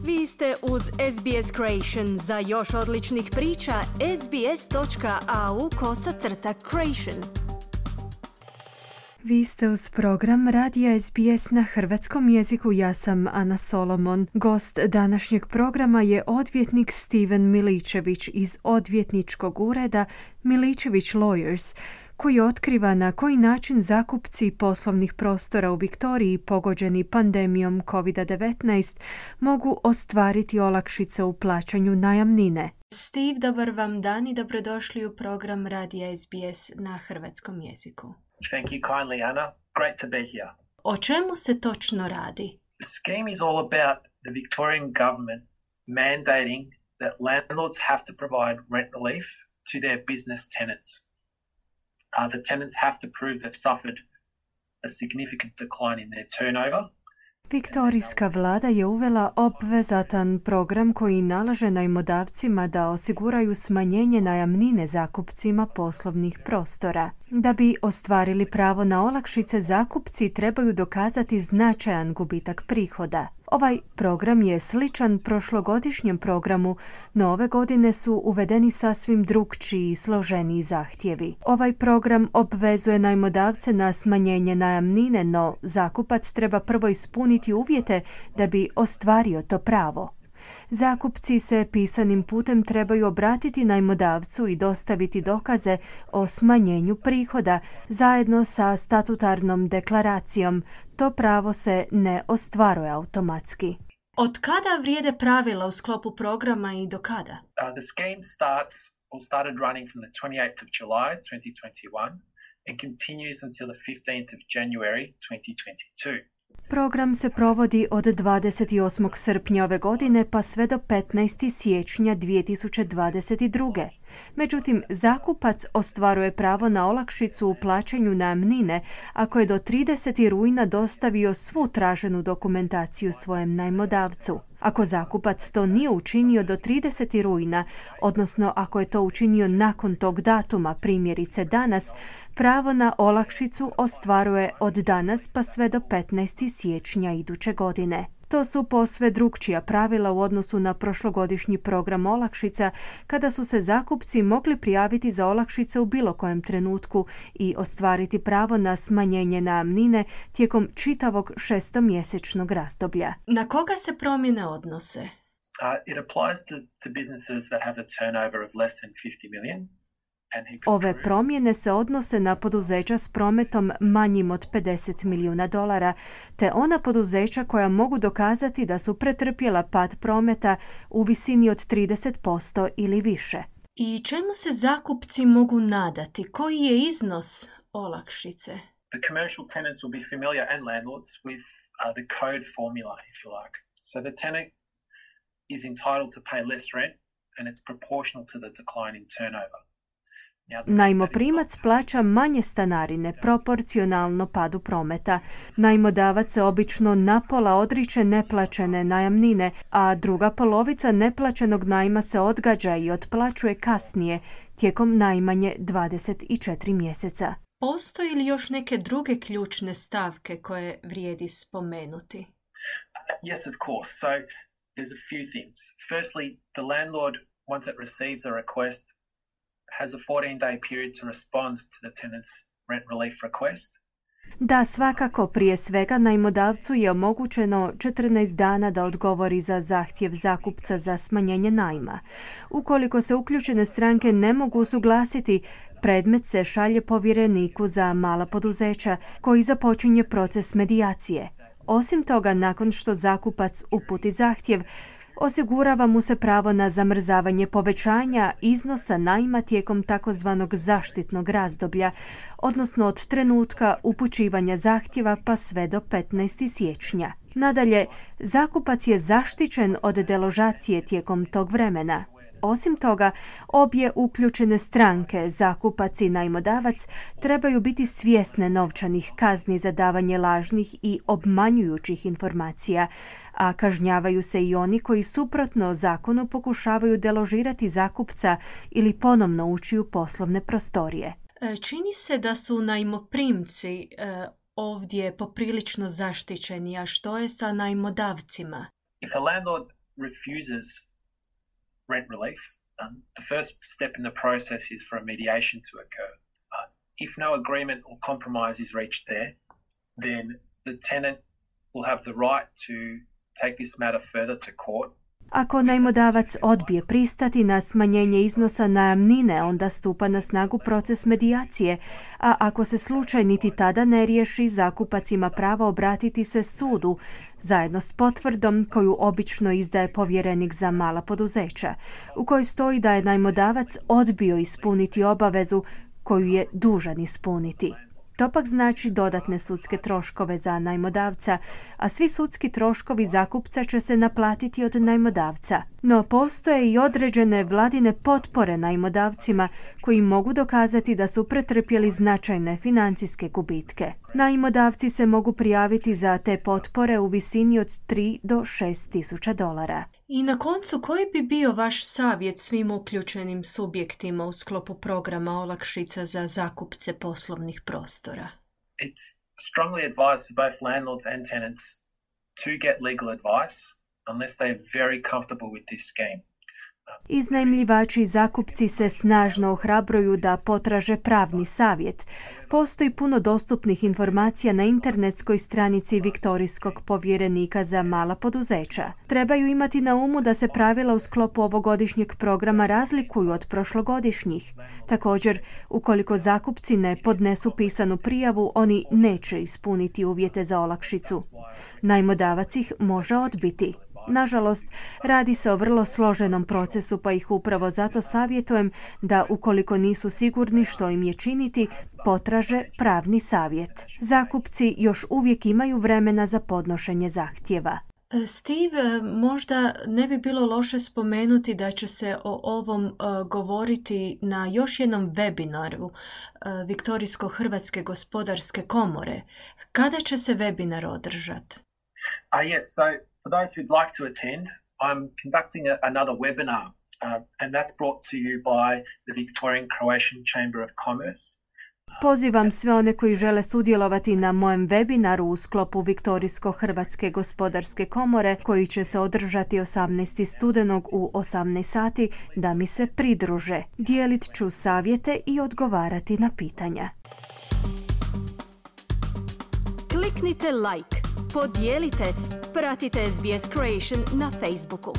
Vi ste uz SBS Creation. Za još odličnih priča, sbs.au/creation. Vi ste uz program Radija SBS na hrvatskom jeziku. Ja sam Ana Solomon. Gost današnjeg programa je odvjetnik Steven Miličević iz odvjetničkog ureda Miličević Lawyers, koji otkriva na koji način zakupci poslovnih prostora u Viktoriji pogođeni pandemijom COVID-19 mogu ostvariti olakšice u plaćanju najamnine. Steve, dobar vam dan i dobrodošli u program Radija SBS na hrvatskom jeziku. Thank you kindly, Anna. Great to be here. O čemu se točno radi? The scheme is all about the Victorian government mandating that landlords have to provide rent relief to their business tenants. The tenants have to prove they've suffered a significant decline in their turnover. Viktorijska vlada je uvela obvezatan program koji nalaže najmodavcima da osiguraju smanjenje najamnine zakupcima poslovnih prostora. Da bi ostvarili pravo na olakšice, zakupci trebaju dokazati značajan gubitak prihoda. Ovaj program je sličan prošlogodišnjem programu, no ove godine su uvedeni sasvim drukčiji i složeniji zahtjevi. Ovaj program obvezuje najmodavce na smanjenje najamnine, no zakupac treba prvo ispuniti uvjete da bi ostvario to pravo. Zakupci se pisanim putem trebaju obratiti najmodavcu i dostaviti dokaze o smanjenju prihoda zajedno sa statutarnom deklaracijom. To pravo se ne ostvaruje automatski. Od kada vrijede pravila u sklopu programa i do kada? The scheme started running from the 28th of July 2021 and continues until the 15th of January 2022. Program se provodi od 28. srpnja ove godine pa sve do 15. siječnja 2022. Međutim, zakupac ostvaruje pravo na olakšicu u plaćanju najamnine ako je do 30. rujna dostavio svu traženu dokumentaciju svojem najmodavcu. Ako zakupac to nije učinio do 30. rujna, odnosno ako je to učinio nakon tog datuma, primjerice danas, pravo na olakšicu ostvaruje od danas pa sve do 15. siječnja iduće godine. To su posve drukčija pravila u odnosu na prošlogodišnji program olakšica, kada su se zakupci mogli prijaviti za olakšice u bilo kojem trenutku i ostvariti pravo na smanjenje najamnine tijekom čitavog šestomjesečnog razdoblja. Na koga se promjene odnose? It applies to businesses that have a turnover of less than 50 million. Ove promjene se odnose na poduzeća s prometom manjim od $50 milijuna, te ona poduzeća koja mogu dokazati da su pretrpjela pad prometa u visini od 30% ili više. I čemu se zakupci mogu nadati? Koji je iznos olakšice? The commercial tenants will be familiar and landlords with the code formula, if you like. So the tenant is entitled to pay less rent and it's proportional to the decline in turnover. Najmoprimac plaća manje stanarine proporcionalno padu prometa. Najmodavac se obično napola odriče neplaćene najamnine, a druga polovica neplaćenog najma se odgađa i otplaćuje kasnije, tijekom najmanje 24 mjeseca. Postoji li još neke druge ključne stavke koje vrijedi spomenuti? Yes, of course. So there's a few things. Firstly, the landlord, once it receives a request, has a 14-day period to respond to the tenant's rent relief request. Da, svakako, prije svega najmodavcu je omogućeno 14 dana da odgovori za zahtjev zakupca za smanjenje najma. Ukoliko se uključene stranke ne mogu usuglasiti, predmet se šalje povjereniku za mala poduzeća koji započinje proces medijacije. Osim toga, nakon što zakupac uputi zahtjev, osigurava mu se pravo na zamrzavanje povećanja iznosa najma tijekom takozvanog zaštitnog razdoblja, odnosno od trenutka upućivanja zahtjeva pa sve do 15. siječnja. Nadalje, zakupac je zaštićen od deložacije tijekom tog vremena. Osim toga, obje uključene stranke, zakupac i najmodavac, trebaju biti svjesne novčanih kazni za davanje lažnih i obmanjujućih informacija, a kažnjavaju se i oni koji suprotno zakonu pokušavaju deložirati zakupca ili ponovno ući u poslovne prostorije. Čini se da su najmoprimci ovdje poprilično zaštićeni, a što je sa najmodavcima? If a landlord refuses rent relief, the first step in the process is for a mediation to occur. If no agreement or compromise is reached there, then the tenant will have the right to take this matter further to court. Ako najmodavac odbije pristati na smanjenje iznosa najamnine, onda stupa na snagu proces medijacije, a ako se slučaj niti tada ne riješi, zakupac ima pravo obratiti se sudu, zajedno s potvrdom koju obično izdaje povjerenik za mala poduzeća, u kojoj stoji da je najmodavac odbio ispuniti obavezu koju je dužan ispuniti. To pak znači dodatne sudske troškove za najmodavca, a svi sudski troškovi zakupca će se naplatiti od najmodavca. No postoje i određene vladine potpore najmodavcima koji mogu dokazati da su pretrpjeli značajne financijske gubitke. Najmodavci se mogu prijaviti za te potpore u visini od 3 do 6 tisuća dolara. I na koncu, koji bi bio vaš savjet svim uključenim subjektima u sklopu programa olakšica za zakupce poslovnih prostora? It's strongly advised for both landlords and tenants to get legal advice unless they're very comfortable with this scheme. Iznajmljivači i zakupci se snažno ohrabruju da potraže pravni savjet. Postoji puno dostupnih informacija na internetskoj stranici Viktorijskog povjerenika za mala poduzeća. Trebaju imati na umu da se pravila u sklopu ovogodišnjeg programa razlikuju od prošlogodišnjih. Također, ukoliko zakupci ne podnesu pisanu prijavu, oni neće ispuniti uvjete za olakšicu. Najmodavac ih može odbiti. Nažalost, radi se o vrlo složenom procesu, pa ih upravo zato savjetujem da, ukoliko nisu sigurni što im je činiti, potraže pravni savjet. Zakupci još uvijek imaju vremena za podnošenje zahtjeva. Steve, možda ne bi bilo loše spomenuti da će se o ovom govoriti na još jednom webinaru Viktorijsko-Hrvatske gospodarske komore. Kada će se webinar održati? Yes, so for those who'd like to attend, I'm conducting another webinar, and that's brought to you by the Victorian Croatian Chamber of Commerce. Pozivam sve one koji žele sudjelovati na mojem webinaru u sklopu Viktorijsko-Hrvatske gospodarske komore, koji će se održati 18. studenog u 18 sati, da mi se pridruže. Dijelit ću savjete i odgovarati na pitanja. Kliknite like, podijelite, pratite SBS Creation na Facebooku.